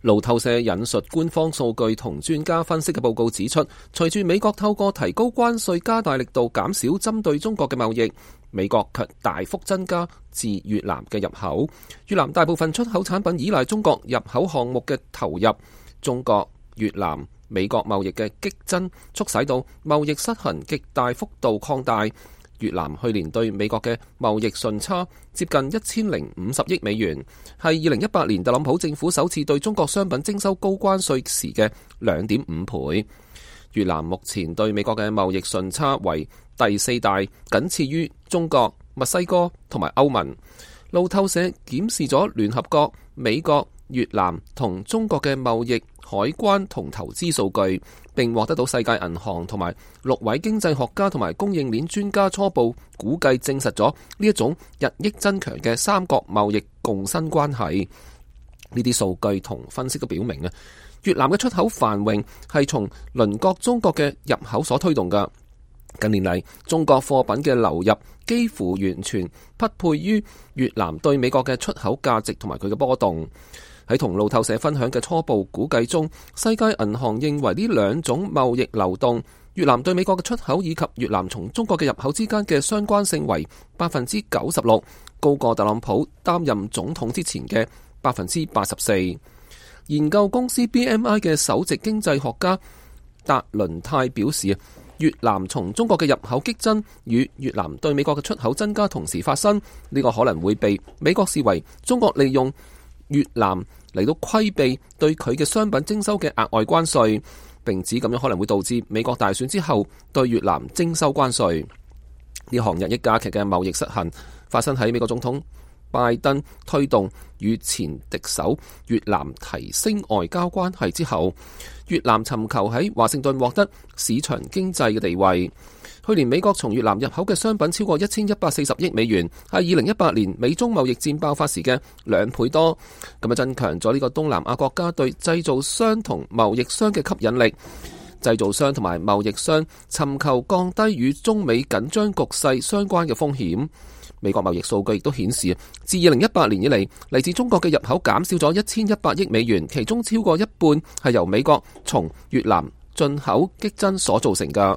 路透社引述官方數據同專家分析嘅報告指出，隨住美國透過提高關稅加大力度減少針對中國嘅貿易，美國卻大幅增加自越南嘅入口。越南大部分出口產品依賴中國入口項目嘅投入，中國、越南、美國貿易嘅激增，促使到貿易失衡極大幅度擴大。越南去年對美國嘅貿易順差接近1050億美元，係2018年特朗普政府首次對中國商品徵收高關稅時嘅2.5倍。越南目前對美國嘅貿易順差為第4大，僅次於中國、墨西哥同埋歐盟。路透社檢視咗聯合國、美國、越南同中國嘅貿易、海關同投資數據，並獲得到世界銀行同埋6位經濟學家同埋供應鏈專家初步估計，證實咗呢一種日益增強嘅三角貿易共生關係。呢啲數據同分析都表明越南嘅出口繁榮係從鄰國中國嘅入口所推動㗎。近年嚟，中國貨品嘅流入幾乎完全匹配於越南對美國嘅出口價值同埋佢嘅波動。喺同路透社分享嘅初步估計中，世界銀行認為呢兩種貿易流動，越南對美國嘅出口以及越南從中國嘅入口之間嘅相關性為96%，高過特朗普擔任總統之前嘅84%。研究公司 BMI 嘅首席經濟學家達倫泰表示，越南從中國嘅入口激增與越南對美國嘅出口增加同時發生，呢個可能會被美國視為中國利用越南嚟到規避對佢嘅商品徵收嘅額外關稅，並指咁樣可能會導致美國大選之後對越南徵收關稅。呢項日益加劇嘅貿易失衡發生喺美國總統拜登推動與前敵手越南提升外交關係之後，越南尋求喺華盛頓獲得市場經濟嘅地位。去年美國從越南入口嘅商品超過1140億美元，係2018年美中貿易戰爆發時嘅2倍多，咁增強咗呢個東南亞國家對製造商同貿易商嘅吸引力。製造商同埋貿易商尋求降低與中美緊張局勢相關嘅風險。美國貿易數據亦都顯示，自2018年以嚟，嚟自中國嘅入口減少咗1100億美元，其中超過一半係由美國從越南進口激增所造成㗎。